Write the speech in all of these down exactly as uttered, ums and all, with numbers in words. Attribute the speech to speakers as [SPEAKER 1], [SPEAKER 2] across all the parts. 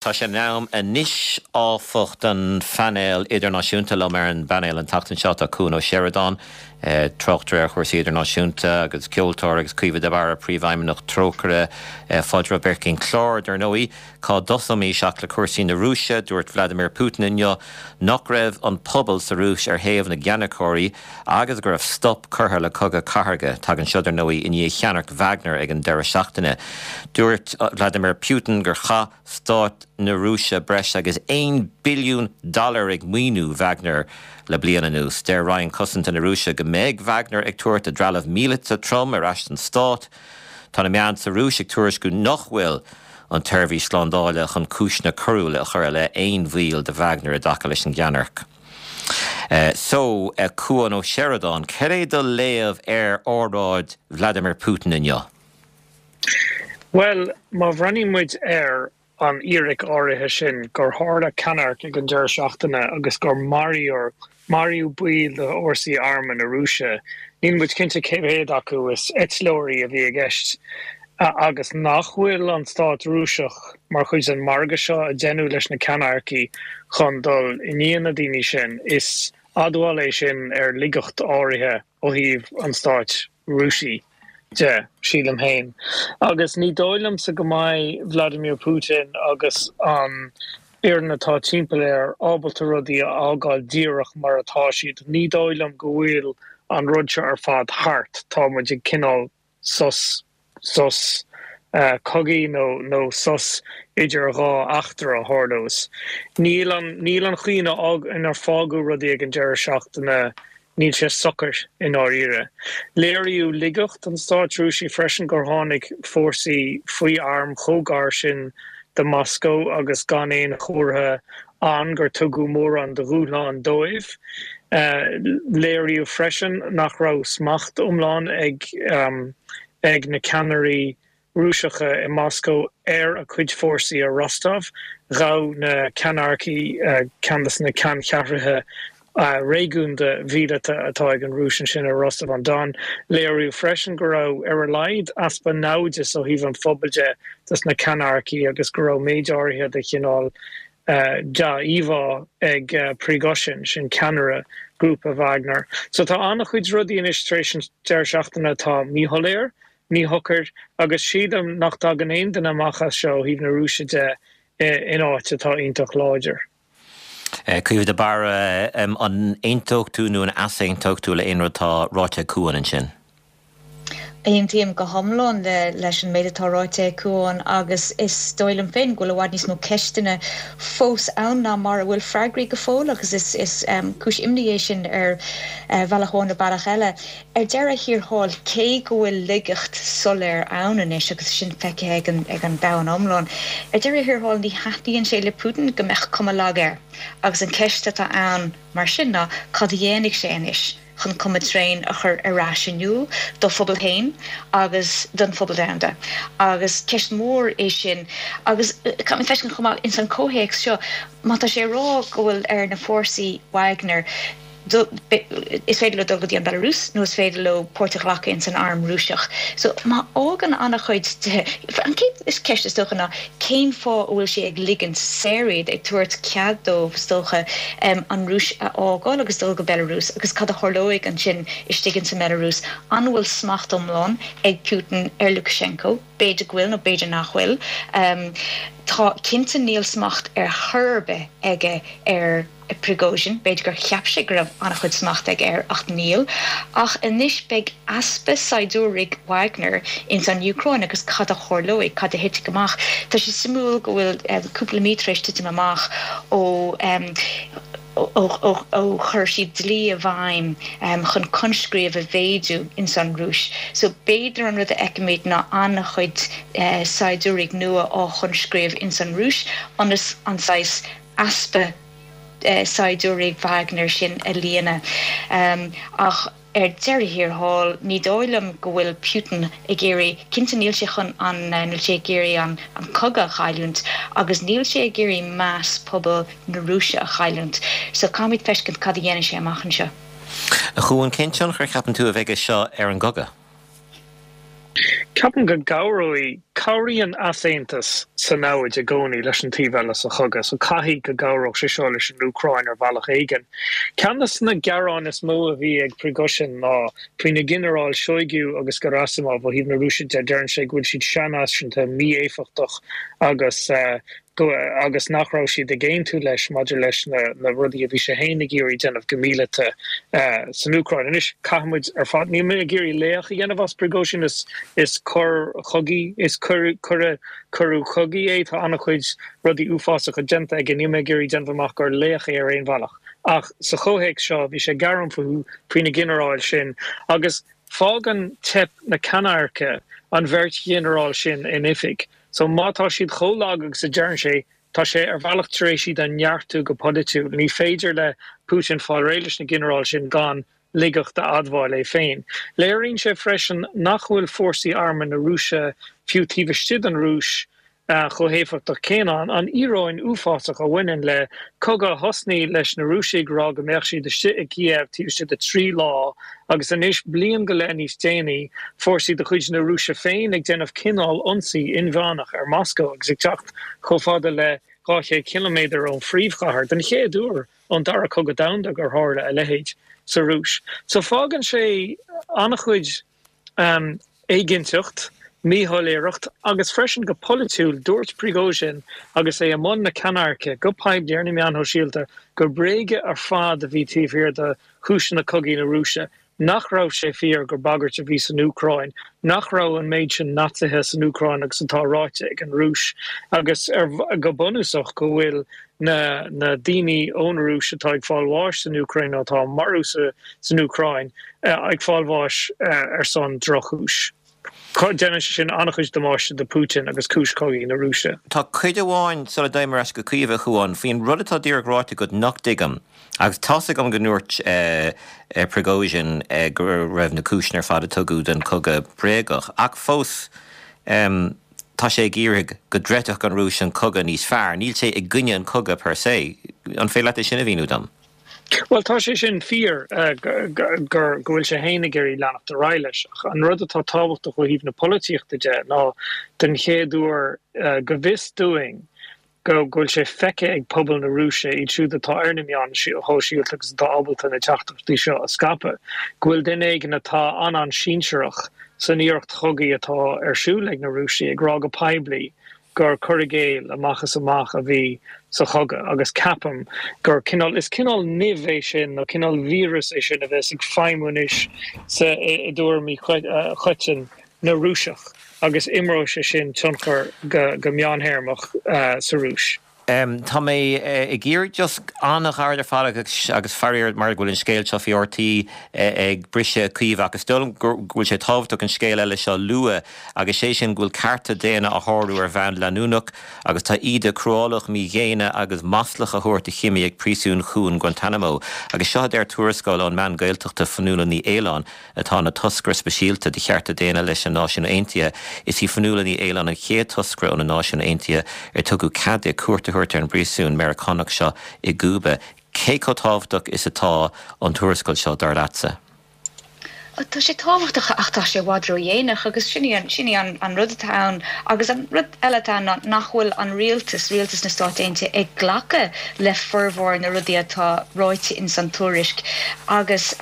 [SPEAKER 1] Tá sé in am anois áfach don phainéal idirnáisiúnta liom ar an bpainéal an tseachtain seo tá Cuan Ó Seireadáin, eh, tráchtaire ar chúrsaí idirnáisiúnta agus ceoltóir agus Caoimhe de Barra príomhfheidhmeannach Trócaire eh, Fáilte beirt chuig an chlár dar ndóigh cá dtosóimis ach le cúrsaí na Rúise dúirt Vladimir Putin inniu nach raibh an pobal sa Rúis ar thaobh na gceannairceoirí agus go raibh stop curtha le cogadh cathartha tagann seo dar ndóigh i ndiaidh cheannairc Wagner ag an deireadh seachtaine. Dúirt uh, Vladimir Putin gur chaith stát na Rúise breis agus aon billiún dollar ag maoiniú Wagner le bliain anuas. Deir Roinn Cosanta na Rúise go mbeidh Wagner ag tabhairt a dtrealamh míleata trom ar ais don stát. Tá na meáin sa Rúis ag tuairisciú nach bhfuil an tseirbhís slándála chun cúiseanna coiriúla a chur le aon bhall de Wagner i dtaca leis an gceannairc. Uh, so uh, Cuan Ó Seireadáin, cad é do léamh ar óráid Vladimir Putin inniu.
[SPEAKER 2] Well, má bhreathnaíonn muid ar an fhíric áirithe sin gur tharla ceannairc ag an deireadh seachtaine agus gur maraíodh maraíodh baill de fhórsaí armtha na Rúise. Níl muid cinnte cé mhéad acu is eitleoirí a bhí i gceist agus nach bhfuil an stát Rúiseach mar chuid den margadh seo a déanamh leis na ceannaircí chun dul i ndiaidh na daoine sin is admháil é sin ar laigeacht áirithe ó thaobh an stáit Rúisigh de sílim féin. Agus ní dóigh liomsa go mbeidh Vladimir Putin agus an fhoireann atá timpeall air ábalta rudaí a fhágáil díreach mar atá siad. Ní dóigh liom go bhfuil an rud seo ar fad thart tá muid ag cineál sos sos uh, cogaidh nó nó sos idir dhá eachtra a tharlós. Níl an níl an chaoi inar fágadh rudaí ag an deireadh seachtaine níl sé socair i ndáiríre. Léiríodh laigeacht an stáit Rúisigh freisin gur tháinig fórsaí faoi arm chomh gar sin de Moscow agus gan aon chomhartha ann gur tugadh mórán de dhúshlán dóibh. Uh, léiríodh freisin nach raibh smacht iomlán ag um, ag na ceannairí Rúiseacha i Moscow ar a cuid fórsaí i Rostov, ghabh na ceannaircí uh, ceann de na ceanncheathrúna uh, réigiúnda míleata atá ag an Rúis sin i Rostov on Don. Léiríodh freisin go raibh ar a laghad easpa naimhdeas ó thaobh an phobail de dos na ceannaircí agus go raibh méid áirithe de chineál uh, dea-íomhá ag uh, Prigozhin sin ceannaire grúpa Wagner. So tá an-chuid rudaí anois tar éis an deireadh seachtaine atá míshoiléir, míshocair agus sílim nach dtagann aon duine amach as seo ó thaobh na Rúise de in áit atá iontach láidir.
[SPEAKER 1] Caoimhe de Barra an aontódh tú nó an easaontódh tú le aon rud atá ráite ag Cuan ansin.
[SPEAKER 3] Aontaím go hiomlán le leis an méid atá ráite ag Cuan agus is dóigh liom féin go bhfuil i bhfad níos mó ceisteanna fós ann ná mar a bhfuil freagraí go fóill agus is is um, cúis imní é sin ar uh, bhealach amháin nó bealach eile. Ar deireadh thiar thall cé go bhfuil laigeacht soiléir ann anois agus sin feicthe ag an ag an domhan iomlán. Ar deireadh thiar thall ní thaitníonn sé le Putin go mbeadh cuma lag air. agus an cheist atá ann mar sin ná cad a dhéanfaidh sé anois chun cuma tréan a chur ar ais in iúl dá phobal féin agus don phobal domhanda. Agus ceist mór é sin agus caithfidh mé feiscint chomh maith in san comhthéacs seo má tá sé rá go bhfuil ar na fórsaí Wagner is féidir leo dul go dtí an Belarus nó is féidir leo páirt a ghlacadh in san arm Rúiseach. So má fhágann an-chuid an chéad is ceist is dócha ná cén fáth a bhfuil sé ag ligean saor iad ag tabhairt cead dóibh is dócha um, an Rúis a fhágáil agus dul go Belarus agus cad a tharlóidh ansin istigh in sa Belarus an bhfuil smacht iomlán ag Putin ar Lukashenko, b'fhéidir go bhfuil nó b'fhéidir nach bhfuil. Um, tá cinnte níl smacht ar chor ar bith aige ar Prigozhin, b'fhéidir gur cheap sé go raibh an-chuid smacht aige air ach níl, ach anois beidh easpa saighdiúirí Wagner in san Úcráin agus cad a tharlóidh cad a thitfidh amach. Tá sé suimiúil go bhfuil um, cúpla mí tar éis titim amach ó um, ó chuir siad dlí i bhfeidhm um, chun conscríobh a mhéadú in san Rúis. So b'fhéidir an rud a fheicfimid ná an-chuid uh, saighdiúirí nua á chonscríobh in san Rúis ionas an saghas easpa uh, saighdiúirí Wagner sin a líonadh. Um, ach ar deireadh thiar thall ní dóigh liom go bhfuil Putin ag iarraidh cinnte níl sé chun an níl sé ag iarraidh an an cogadh a chailliúint agus níl sé ag iarraidh meas pobal na Rúise a chailliúint. So caithfimid feiscint cad a dhéanann sé amach anseo.
[SPEAKER 1] A Chuain cén tionchar a cheapann tú a bheidh seo ar an gcogadh?
[SPEAKER 2] Ceapaim go gcabhróidh, cabhraíonn easaontas sa namhaid i gcónaí leis an taobh eile sa chogadh, so caithfidh go gcabhródh sé seo leis an Úcráin ar bhealach éigin. Ceann de na gearáin is mó a bhí ag Prigozhin ná faoi na ginearáil Shoigu agus Gerasimov ó thaobh na Rúise de, deireann sé go bhfuil siad seanfhaiseanta, mí-éifeachtach agus go agus nach raibh siad ag aontú leis maidir leis na na rudaí a bhí sé féin ag iarraidh déanamh go míleata san Úcráin. Anois, caithfidh muid ar fad, níl mé ag iarraidh laoch a dhéanamh as Prigozhin, is is coir chogaidh, is coir coire coireadh cogaidh é, tá an-chuid rudaí uafásacha déanta aige, níl mé ag iarraidh déanamh amach gur laoch é ar aon bhealach. Ach sa chomhthéacs seo, bhí sé ag gearán fúthu, faoi na ginearáil sin, agus fágann teip na ceannairce an bheirt ghinearál sin in oifig. So má tá siad chomh lag agus a deireann sé, tá sé ar bhealach tar éis iad a neartú go polaitiúil. Ní féidir le Putin fáil réidh leis na ginearáil sin gan laigeacht a admháil é féin. Léiríonn sé freisin nach bhfuil fórsaí armtha na Rúise, fiú taobh istigh den Rúis, chomh héifeachtach céanna. An íoróin uafásach a bhaineann le cogadh a thosnaigh leis na Rúisigh ag rá go mbeadh siad istigh i Kiev taobh istigh de trí lá agus anois, bliain go leith níos déanaí, fórsaí de chuid na Rúise féin ag déanamh cineál ionsaí inmheánach ar Moscow agus ag teacht chomh fada le dhá chéad ciliméadar ón phríomhchathair den chéad uair ón Dara Cogadh Domhanda gur tharla a leithéid sa Rúis. So fágann sé an-chuid éiginnteacht, míshoiléireacht agus freisin go polaitiúil, dúirt Prigozhin agus é i mbun na ceannairce go poiblí ar na meáin shóisialta gur bréaga ar fad a bhí taobh thiar de chúiseanna cogaidh na Rúise, nach raibh sé fíor gur bagairt a bhí san Úcráin, nach raibh an méid sin Naitsithe san Úcráin agus atá ráite ag an Rúis agus ar go bunúsach go bhfuil na na daoine ón Rúis atá ag fáil bháis san Úcráin nó atá á marú san Úcráin ag fáil bháis ar son droch-chúis. Déanann sé sin an-chuid damáiste do Putin agus cúis chogaidh na Rúise.
[SPEAKER 1] Tá cuid amháin, sula dtéim ar ais go Caoimhe, a Chuáin, faoin rud atá díreach ráite agat nach dtuigim, agus tá's agam go ndúirt Prigozhin go raibh na cúiseanna ar fad a tugadh don chogadh bréagach, ach fós tá sé ag iarraidh go dtroidfeadh an Rúis an cogadh níos fearr. Níl sé i gcoinne an chogaidh per se. An féidir leat é sin a mhíniú dom?
[SPEAKER 2] Bhuel, tá sé sin fíor gur go bhfuil sé féin ag iarraidh leanacht ar aghaidh leis, ach an rud atá tábhachtach ó thaobh na polaitíochta de ná den chéad uair go bhfios dúinn go bhfuil sé feicthe ag pobal na Rúise, iad siúd atá ar na meáin shóisialta agus atá ábalta na teachtaireachtaí seo a scaipeadh, go bhfuil duine éigin atá an-an-sinsearach san iarracht chogaidh atá ar siúl ag na Rúisigh ag rá go poiblí gur cur i gcéill amach is amach a bhí sa chogadh agus ceapaim gur cineál, is cineál nimh é sin nó cineál víreas é sin a bheas ag feidhmiú anois sa, i dtuairimí choiteann na Rúiseach agus imreoidh sé sin tionchar go, go meánthéarmach sa Rúis.
[SPEAKER 1] Tá mé ag iarraidh just an-ghairid ar fad agus agus faraor mar go bhfuil an scéal seo faoi R T ag briseadh, a Chaoimhe, ach is dóigh liom go bhfuil sé tábhachtach an scéal eile seo a lua agus sé sin go bhfuil cearta daonna á shárú ar bhonn leanúnach agus tá íde cruálach, mídhaonna agus maslach á thabhairt do chimí ag príosún Chuan Guantanamo. Agus seo a deir tuarascáil ón mbean Gaeltachta Fionnuala Ní Aoláin atá ina toscaire speisialta do chearta daonna leis na Náisiúin Aontaithe. Is í Fionnuala Ní Aoláin an chéad toscaire ó na Náisiúin Aontaithe ar tugadh cead di cuairt a thabhairt ar an bpríosún Meiriceánach seo i gCúba. Cé chomh tábhachtach is atá an tuarascáil seo, dar leatsa?
[SPEAKER 3] Tá sé tábhachtach ach tá sé i bhfad ródhéanach agus sin í an, sin í an, an rud atá ann. Agus an rud eile atá ann ná nach bhfuil an rialtas, rialtas na Stát Aontaithe ag glacadh le formhór na rudaí atá ráite ins an tuairisc. Agus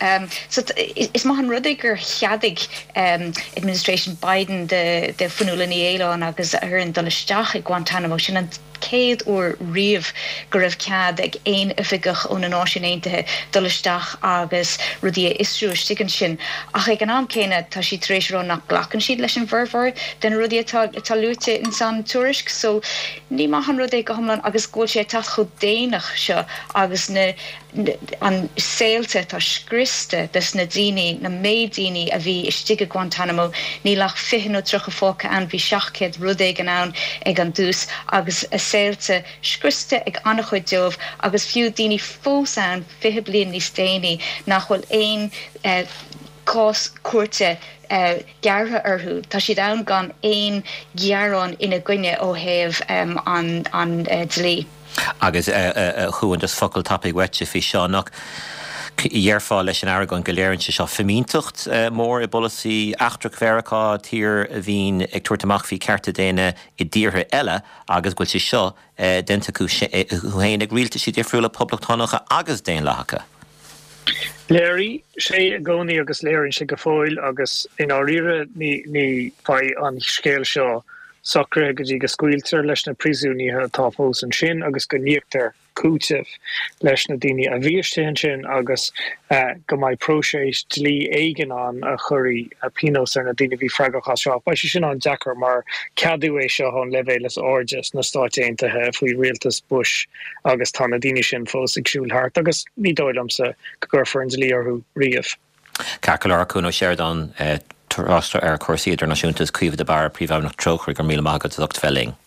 [SPEAKER 3] so is maith an rud é gur cheadaigh administration Biden de, de Fionnuala Ní Aoláin agus a fhoireann dul isteach i Guantanamo. Sin an chéad uair riamh go raibh cead ag aon oifigeach ó na Náisiúin Aontaithe dul isteach agus rudaí a fhiosrú istigh ansin. Ach ag an am céanna tá siad tar éis a rá nach nglacann siad leis an bhformhór de na rudaí atá atá luaite ins an tuairisc. So ní maith an rud é go hiomlán agus go bhfuil sé ag teacht chomh déanach seo agus na an saolta atá scriosta des na daoine, na méid daoine a bhí istigh i Guantanamo, níl ach fiche nó tríocha fágtha ann, bhí seacht gcéad rud éigin ann ag an dtús, agus a saolta scriosta ag an-chuid dóibh, agus fiú daoine fós ann fiche bliain níos déanaí nach bhfuil aon cás cúirte gearrtha orthu. Tá siad ann gan aon ghearán ina gcoinne ó thaobh an dlí.
[SPEAKER 1] Agus a Chuain, just focal tapaidh uaitse faoi seo, nach Dhéarfá leis an argóint go léiríonn sé seo fimínteacht mór i bpolasaí eachtrach Mheiriceá, tír a bhíonn ag tabhairt amach faoi chearta daonna i dtíortha eile agus go bhfuil sé seo déanta acu féin ag rialtaisí difriúla poblachtánacha agus daonlathacha.
[SPEAKER 2] Léirigh sé i gcónaí agus léiríonn sé go fóill agus i ndáiríre ní ní bheidh an scéal seo socraithe go dtí go scaoiltear leis na príosúnaithe atá fós ansin agus go n-íoctar cúiteamh leis na daoine a bhí istigh ansin agus go mbeidh próiseas dlí éigin ann a chuirfidh pionós ar na daoine a bhí freagrach as seo. Beidh sé sin an-deacair mar ceadú é seo ón leibhéal is airde sna Stáit Aontaithe faoi rialtas Bush agus tá na daoine sin fós ag siúl thart agus ní dóigh liomsa go gcuirfear an dlí orthu riamh.
[SPEAKER 1] Ceart go leor, Cuan Ó Seireadáin, tráchtaire ar chúrsaí idirnáisiúnta is Caoimhe de Barra, Príomhfheidhmeannach Trócaire, go raibh míle maith agat as ucht bheith linn.